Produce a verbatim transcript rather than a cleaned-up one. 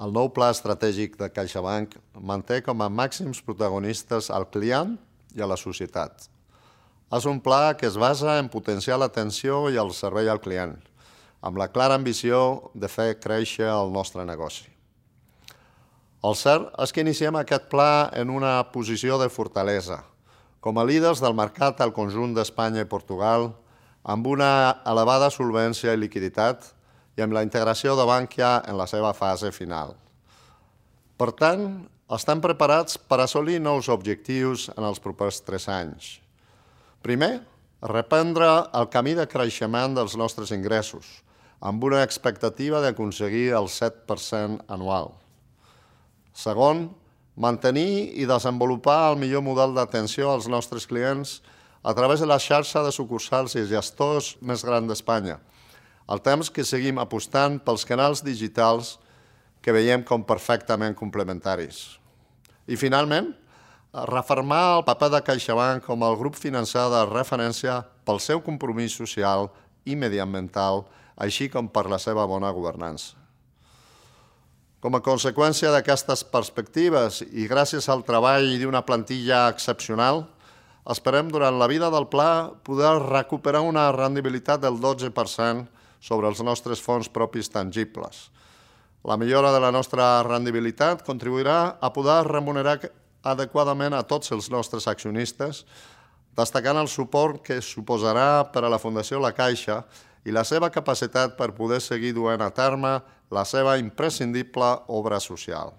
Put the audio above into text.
El nou pla estratègic de CaixaBank manté com a màxims protagonistes al client i a la societat. És un pla que es basa en potenciar l'atenció i el servei al client, amb la clara ambició de fer créixer el nostre negoci. El cert és que iniciem aquest pla en una posició de fortalesa, com a líders del mercat al conjunt d'Espanya i Portugal, amb una elevada solvència i liquiditat i amb la integració de Bankia en la seva fase final. Per tant, estem preparats per assolir nous objectius en els propers tres anys. Primer, reprendre el camí de creixement dels nostres ingressos, amb una expectativa d'aconseguir el set per cent anual. Segon, mantenir i desenvolupar el millor model d'atenció als nostres clients a través de la xarxa de sucursals i gestors més gran d'Espanya, al temps que seguim apostant pels canals digitals que veiem com perfectament complementaris. I finalment, refermar el paper de CaixaBank com el grup financer de referència pel seu compromís social i mediambiental, així com per la seva bona governança. Com a conseqüència d'aquestes perspectives i gràcies al treball d'una plantilla excepcional, esperem durant la vida del pla poder recuperar una rendibilitat del dotze per cent sobre els nostres fons propis tangibles. La millora de la nostra rendibilitat contribuirà a poder remunerar adequadament a tots els nostres accionistes, destacant el suport que suposarà per a la Fundació La Caixa i la seva capacitat per poder seguir duent a terme la seva imprescindible obra social.